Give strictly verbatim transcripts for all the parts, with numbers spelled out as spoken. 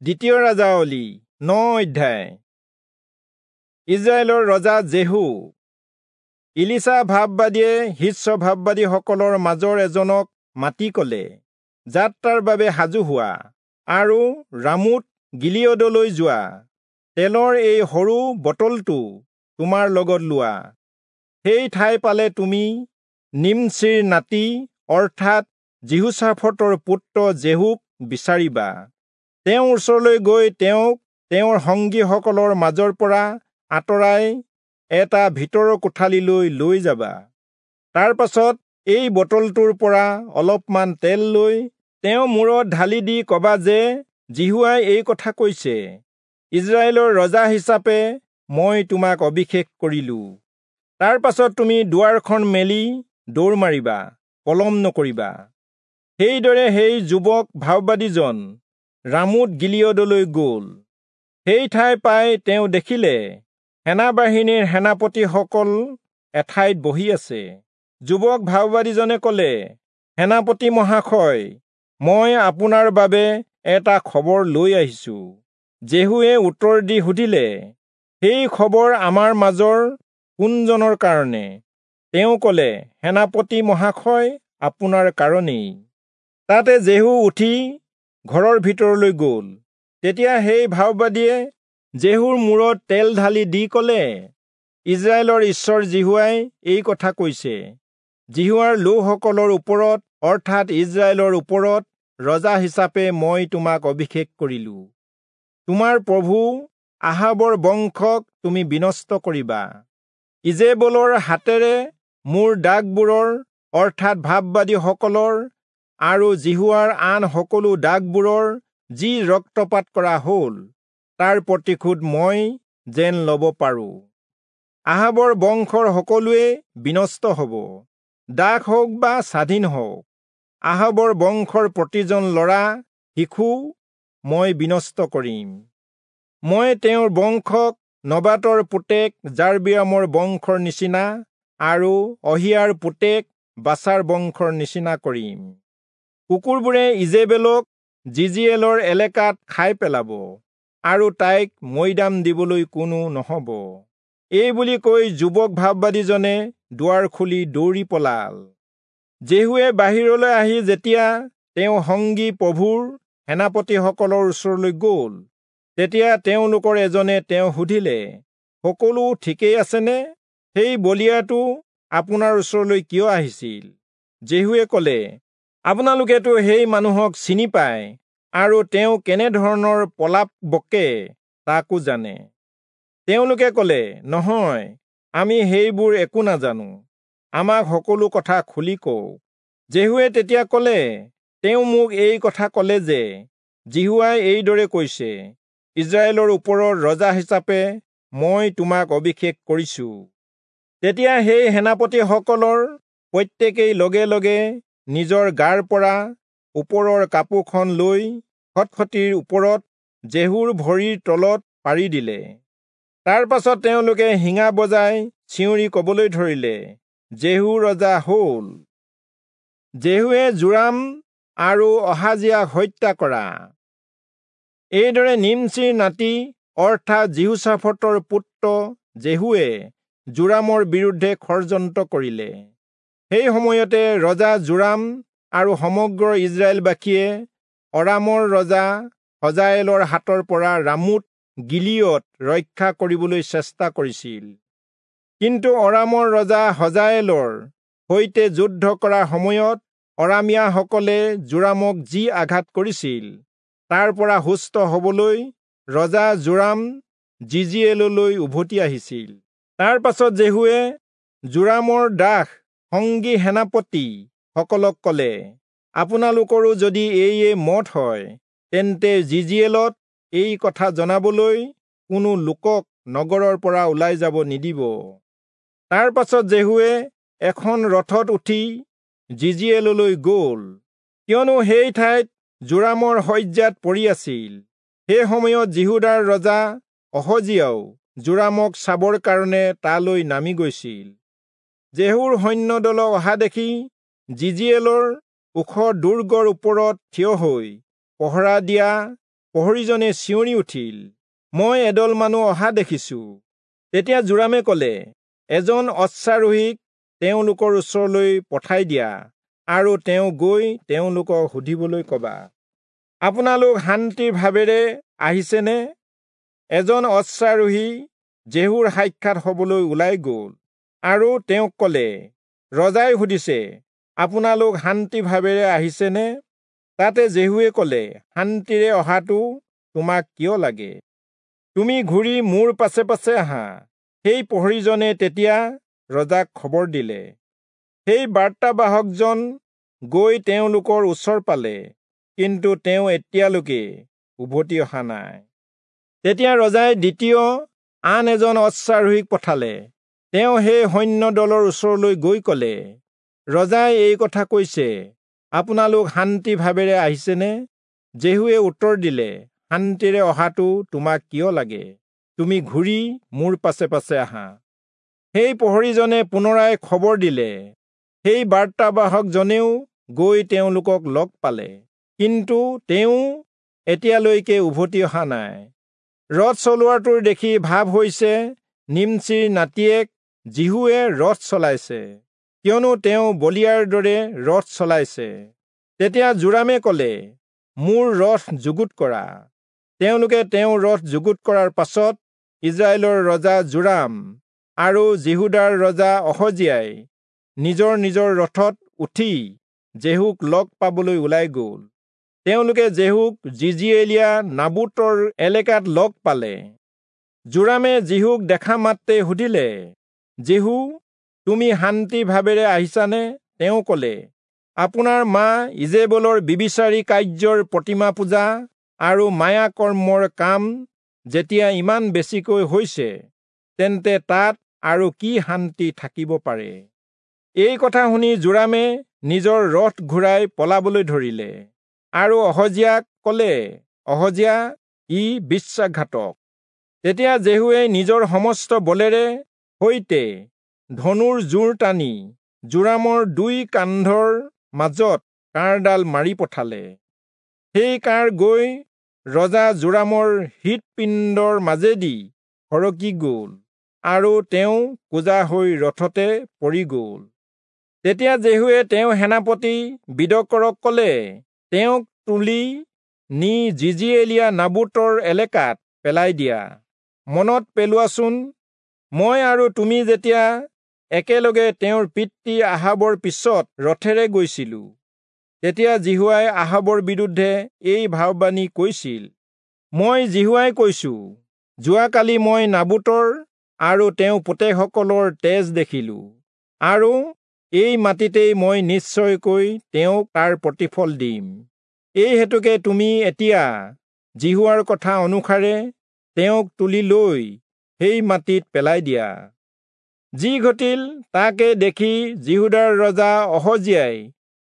দ্বিতীয় ৰাজাৱলী ন অধ্যায়। ইজৰাইলৰ ৰজা জেহু। ইলিচা ভাববাদীয়ে শিষ্য ভাববাদীসকলৰ মাজৰ এজনক মাতি ক'লে, যাত্ৰাৰ বাবে সাজু হোৱা আৰু ৰামোত গিলিয়দলৈ যোৱা। তেলৰ এই সৰু বটলটো তোমাৰ লগত লোৱা। সেই ঠাই পালে তুমি নিমচিৰ নাতি অৰ্থাৎ যিহোচাফটৰ পুত্ৰ জেহুক বিচাৰিবা। তেওঁৰ ওচৰলৈ গৈ তেওঁক তেওঁৰ সংগীসকলৰ মাজৰ পৰা আঁতৰাই এটা ভিতৰৰ কোঠালিলৈ লৈ যাবা। তাৰ পাছত এই বটলটোৰ পৰা অলপমান তেল লৈ তেওঁ মূৰত ঢালি দি কবা যে যিহোৱাই এই কথা কৈছে, ইজৰাইলৰ ৰজা হিচাপে মই তোমাক অভিষেক কৰিলো। তাৰ পাছত তুমি দুৱাৰখন মেলি দৌৰ মাৰিবা, পলম নকৰিবা। সেইদৰে সেই যুৱক ভাববাদীজন ৰামোত গিলিয়দলৈ গ'ল। সেই ঠাই পাই তেওঁ দেখিলে সেনাবাহিনীৰ সেনাপতিসকল এঠাইত বহি আছে। যুৱক ভাববাদীজনে ক'লে, সেনাপতি মহাশয়, মই আপোনাৰ বাবে এটা খবৰ লৈ আহিছো। জেহুৱে উত্তৰ দি সুধিলে, সেই খবৰ আমাৰ মাজৰ কোনজনৰ কাৰণে? তেওঁ ক'লে, সেনাপতি মহাশয়, আপোনাৰ কাৰণেই। তাতে জেহু উঠি ঘৰৰ ভিতৰলৈ গ'ল। তেতিয়া সেই ভাববাদীয়ে জেহুৰ মূৰত তেল ঢালি দি ক'লে, ইজৰাইলৰ ঈশ্বৰ যিহোৱাই এই কথা কৈছে, যিহোৱাৰ লোকসকলৰ ওপৰত অৰ্থাৎ ইজৰাইলৰ ওপৰত ৰজা হিচাপে মই তোমাক অভিষেক কৰিলো। তোমাৰ প্ৰভু আহাবৰ বংশক তুমি বিনষ্ট কৰিবা। ইজেবলৰ হাতেৰে মোৰ দাগবোৰৰ অৰ্থাৎ ভাববাদীসকলৰ আৰু যিহোৱাৰ আন সকলো দাগবোৰৰ যি ৰক্তপাত কৰা হ'ল, তাৰ প্ৰতিশোধ মই যেন ল'ব পাৰোঁ। আহাবৰ বংশৰ সকলোৱে বিনষ্ট হ'ব, দাস হওক বা স্বাধীন হওক। আহাবৰ বংশৰ প্ৰতিজন ল'ৰা শিশু মই বিনষ্ট কৰিম। মই তেওঁৰ বংশক নবাতৰ পুতেক যাৰবিয়ামৰ বংশৰ নিচিনা আৰু অহিয়াৰ পুতেক বাচাৰ বংশৰ নিচিনা কৰিম। কুকুৰবোৰে ইজেবেলক জিজিয়েলৰ এলেকাত খাই পেলাব আৰু তাইক মৈদাম দিবলৈ কোনো নহ'ব। এই বুলি কৈ যুৱক ভাববাদীজনে দুৱাৰ খুলি দৌৰি পলাল। জেহুৱে বাহিৰলৈ আহি যেতিয়া তেওঁ সংগী প্ৰভুৰ সেনাপতিসকলৰ ওচৰলৈ গ'ল, তেতিয়া তেওঁলোকৰ এজনে তেওঁ সুধিলে, সকলো ঠিকেই আছেনে? সেই বলিয়াটো আপোনাৰ ওচৰলৈ কিয় আহিছিল? জেহুৱে ক'লে, আপোনালোকেতো সেই মানুহক চিনি পায় আৰু তেওঁ কেনেধৰণৰ প্ৰলাপ বকে তাকো জানে। তেওঁলোকে ক'লে, নহয়, আমি সেইবোৰ একো নাজানো, আমাক সকলো কথা খুলি কওক। জেহুৱে তেতিয়া ক'লে, তেওঁ মোক এই কথা ক'লে যে যিহোৱাই এইদৰে কৈছে, ইজৰাইলৰ ওপৰত ৰজা হিচাপে মই তোমাক অভিষেক কৰিছো। তেতিয়া সেই সেনাপতিসকলৰ প্ৰত্যেকেই লগে লগে নিজৰ গাৰ পৰা ওপৰৰ কাপোৰখন লৈ খটখটিৰ ওপৰত জেহুৰ ভৰিৰ তলত পাৰি দিলে। তাৰ পাছত তেওঁলোকে শিঙা বজাই চিঞৰি কবলৈ ধৰিলে, জেহু ৰজা হ'ল। জেহুৱে যোৰাম আৰু অহাজিয়াক হত্যা কৰা। এইদৰে নিমচিৰ নাতি অৰ্থাৎ যিহোচাফটৰ পুত্ৰ জেহুৱে যোৰামৰ বিৰুদ্ধে ষড়যন্ত্ৰ কৰিলে। সেই সময়তে ৰজা যোৰাম আৰু সমগ্ৰ ইজৰাইলবাসীয়ে অৰামৰ ৰজা হজায়েলৰ হাতৰ পৰা ৰামোত গিলিয়দ ৰক্ষা কৰিবলৈ চেষ্টা কৰিছিল। কিন্তু অৰামৰ ৰজা হজায়েলৰ সৈতে যুদ্ধ কৰাৰ সময়ত অৰামীয়াসকলে যোৰামক যি আঘাত কৰিছিল, তাৰ পৰা সুস্থ হবলৈ ৰজা যোৰাম জিজিয়েললৈ উভতি আহিছিল। তাৰ পাছত জেহুৱে যোৰামৰ দাস সংগী সেনাপতি সকলক ক'লে, আপোনালোকৰো যদি এইয়ে মত হয়, তেন্তে জিজিয়েলত এই কথা জনাবলৈ কোনো লোকক নগৰৰ পৰা ওলাই যাব নিদিব। তাৰ পাছত জেহুৱে এখন ৰথত উঠি জিজিয়েললৈ গ'ল, কিয়নো সেই ঠাইত যোৰামৰ শয্যাত পৰি আছিল। সেই সময়ত যিহূদাৰ ৰজা অহজিয়াও যোৰামক চাবৰ কাৰণে তালৈ নামি গৈছিল। জেহুৰ সৈন্যদলক অহা দেখি জিজিয়েলৰ ওখ দুৰ্গৰ ওপৰত থিয় হৈ পহৰা দিয়া প্ৰহৰীজনে চিঞৰি উঠিল, মই এদল মানুহ অহা দেখিছো। তেতিয়া যোৰামে কলে, এজন অশ্বাৰোহীক তেওঁলোকৰ ওচৰলৈ পঠাই দিয়া আৰু তেওঁ গৈ তেওঁলোকক সুধিবলৈ কবা, আপোনালোক শান্তিৰ ভাৱেৰে আহিছেনে? এজন অশ্বাৰোহী জেহুৰ সাক্ষাৎ হবলৈ ওলাই গল আৰু তেওঁক কলে, ৰজাই সুধিছে, আপোনালোক শান্তি ভাৱেৰে আহিছেনে? তাতে জেহুৱে কলে, শান্তিৰে অহাটো তোমাক কিয় লাগে? তুমি ঘূৰি মোৰ পাছে পাছে আহা। সেই প্ৰহৰীজনে তেতিয়া ৰজাক খবৰ দিলে। সেই বাৰ্তাবাহকজন গৈ তেওঁলোকৰ ওচৰ পালে, কিন্তু তেওঁ এতিয়ালৈকে উভতি অহা নাই। তেতিয়া ৰজাই দ্বিতীয় আন এজন অশ্বাৰোহীক পঠালে। তেওঁ সেই সৈন্য দলৰ ওচৰলৈ গৈ কলে, ৰজাই এই কথা কৈছে, আপোনালোক শান্তি ভাৱেৰে আহিছেনে? জেহুৱে উত্তৰ দিলে, শান্তিৰে অহাটো তোমাক কিয় লাগে? তুমি ঘূৰি মোৰ পাছে পাছে আহা। সেই প্ৰহৰীজনে পুনৰাই খবৰ দিলে। সেই বাৰ্তাবাহকজনেও গৈ তেওঁলোকক লগ পালে, কিন্তু তেওঁ এতিয়ালৈকে উভতি অহা নাই। ৰথ চলোৱাটোৰ দেখি ভাৱ হৈছে নিমচিৰ নাতিয়েক জিহুৱে ৰথ চলাইছে, কিয়নো তেওঁ বলিয়াৰ দৰে ৰথ চলাইছে। তেতিয়া যোৰামে কলে, মোৰ ৰথ যুগুত কৰা। তেওঁলোকে তেওঁৰ ৰথ যুগুত কৰাৰ পাছত ইজৰাইলৰ ৰজা যোৰাম আৰু যিহূদাৰ ৰজা অহজিয়াই নিজৰ নিজৰ ৰথত উঠি জেহুক লগ পাবলৈ ওলাই গল। তেওঁলোকে জেহুক জিজিয়েলীয়া নাবুতৰ এলেকাত লগ পালে। যোৰামে জিহুক দেখা মাত্ৰে সুধিলে, জেহু, তুমি শান্তি ভাৱেৰে আহিছানে? তেওঁ কলে, আপোনাৰ মা ইজেবলৰ বিবিচাৰী কাৰ্যৰ প্ৰতিমা পূজা আৰু মায়া কৰ্মৰ কাম যেতিয়া ইমান বেছিকৈ হৈছে, তেন্তে তাত আৰু কি শান্তি থাকিব পাৰে? এই কথা শুনি যোৰামে নিজৰ ৰথ ঘূৰাই পলাবলৈ ধৰিলে আৰু অহজিয়াক কলে, অহজিয়া, ই বিশ্বাসঘাতক। তেতিয়া জেহুৱে নিজৰ সমস্ত বলেৰে সৈতে ধনুৰ জোৰ টানি যোৰামৰ দুই কান্ধৰ মাজত কাঁড়ডাল মাৰি পঠালে। সেই কাঁড় গৈ ৰজা যোৰামৰ হৃদপিণ্ডৰ মাজেদি সৰকি গল আৰু তেওঁ কুঁজা হৈ ৰথতে পৰি গল। তেতিয়া জেহুৱে তেওঁ সেনাপতি বিদকৰক কলে, তেওঁক তুলি নি জিজিয়েলীয়া নাবুতৰ এলেকাত পেলাই দিয়া। মনত পেলোৱাচোন, মই আৰু তুমি যেতিয়া একেলগে তেওঁৰ পিতৃ আহাবৰ পিছত ৰথেৰে গৈছিলো, তেতিয়া যিহোৱাই আহাবৰ বিৰুদ্ধে এই ভাৱবাণী কৈছিল, মই যিহোৱাই কৈছো, যোৱাকালি মই নাবুতৰ আৰু তেওঁ পুতেকসকলৰ তেজ দেখিলো, আৰু এই মাটিতেই মই নিশ্চয়কৈ তেওঁক তাৰ প্ৰতিফল দিম। এই হেতুকে তুমি এতিয়া যিহোৱাৰ কথা অনুসাৰে তেওঁক তুলি লৈ সেই মাটিত পেলাই দিয়া। যি ঘটিল তাকে দেখি যিহূদাৰ ৰজা অহজিয়াই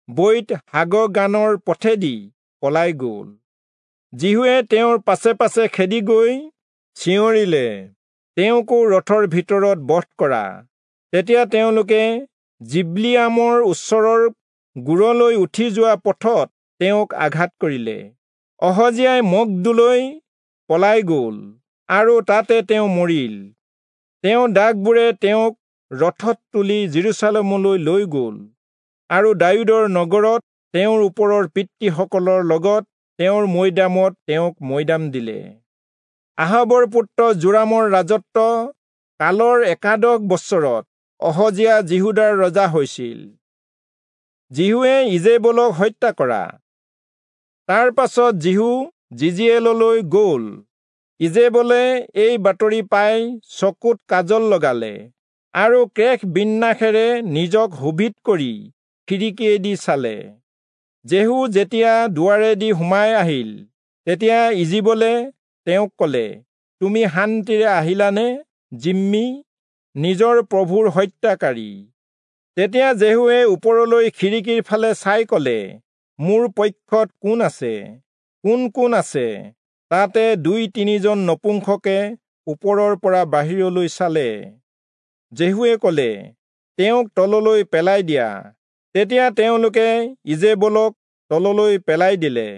বৈত হাগগানৰ পথেদি পলাই গল। জিহুৱে তেওঁৰ পাছে পাছে খেদি গৈ চিঞৰিলে, তেওঁকো ৰথৰ ভিতৰত বধ কৰা। তেতিয়া তেওঁলোকে জিবলিয়ামৰ ওচৰৰ গুৰলৈ উঠি যোৱা পথত তেওঁক আঘাত কৰিলে। অহজিয়াই মগদোলৈ পলাই গল আৰু তাতে তেওঁ মৰিল। তেওঁ দাসবোৰে তেওঁক ৰথত তুলি যিৰূচালেমলৈ লৈ গল আৰু দায়ূদৰ নগৰত তেওঁৰ ওপৰৰ পিতৃসকলৰ লগত তেওঁৰ মৈদামত তেওঁক মৈদাম দিলে। আহাবৰ পুত্ৰ যোৰামৰ ৰাজত্ব কালৰ একাদশ বছৰত অহজিয়া যিহূদাৰ ৰজা হৈছিল। যিহূৱে ইজেবলক হত্যা কৰা। তাৰ পাছত যিহূ জিজিয়েললৈ গল। ইজেবলে এই বাতৰি পাই চকুত কাজল লগালে আৰু কেশ বিন্যাসেৰে নিজক শোভিত কৰি খিৰিকীয়েদি চালে। যেহু যেতিয়া দুৱাৰেদি সোমাই আহিল, তেতিয়া ইজিবলে তেওঁক কলে, তুমি শান্তিৰে আহিলানে জিম্মি, নিজৰ প্ৰভুৰ হত্যাকাৰী? তেতিয়া যেহুৱে ওপৰলৈ খিৰিকীৰ ফালে চাই কলে, মোৰ পক্ষত কোন আছে, কোন কোন আছে? তাতে দুই তিনিজন নপুংসকে ওপৰৰ পৰা বাহিৰলৈ চালে। যেহুৱে কলে, তেওঁক তললৈ পেলাই দিয়া। তেতিয়া তেওঁলোকে ইজেবলক তললৈ পেলাই দিলে।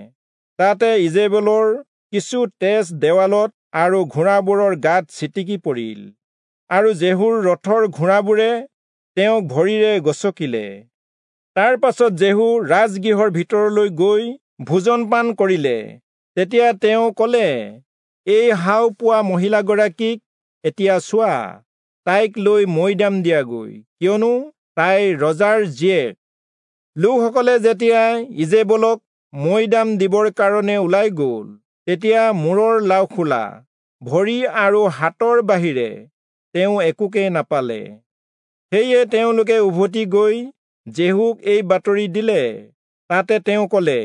তাতে ইজেবলৰ কিছু তেজ দেৱালত আৰু ঘোঁৰাবোৰৰ গাত ছিটিকি পৰিল, আৰু জেহুৰ ৰথৰ ঘোঁৰাবোৰে তেওঁক ভৰিৰে গচকিলে। তাৰ পাছত জেহু ৰাজগৃহৰ ভিতৰলৈ গৈ ভোজন পান কৰিলে। তেতিয়া তেওঁ কলে, এই শাও পোৱা মহিলাগৰাকীক এতিয়া চোৱা, তাইক লৈ মৈদাম দিয়াগৈ, কিয়নো তাই ৰজাৰ জীয়েক। লোকসকলে যেতিয়া ইজেবলক মৈদাম দিবৰ কাৰণে ওলাই গ'ল, তেতিয়া মূৰৰ লাওখোলা, ভৰি আৰু হাতৰ বাহিৰে তেওঁ একোকে নাপালে। সেয়ে তেওঁলোকে উভতি গৈ জেহুক এই বাতৰি দিলে। তাতে তেওঁ কলে,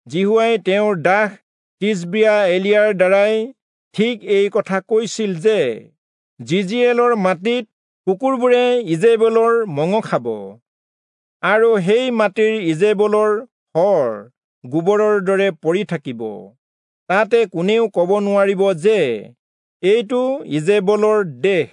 যিহোৱাই তেওঁৰ দাস তিচবিয়া এলিয়াৰ দ্বাৰাই ঠিক এই কথা কৈছিল যে, যিজিয়েলৰ মাটিত কুকুৰবোৰে ইজেবলৰ মঙহ খাব, আৰু সেই মাটিৰ ইজেবলৰ শৰ গোবৰৰ দৰে পৰি থাকিব। তাতে কোনেও কব নোৱাৰিব যে, এইটো ইজেবলৰ দেহ।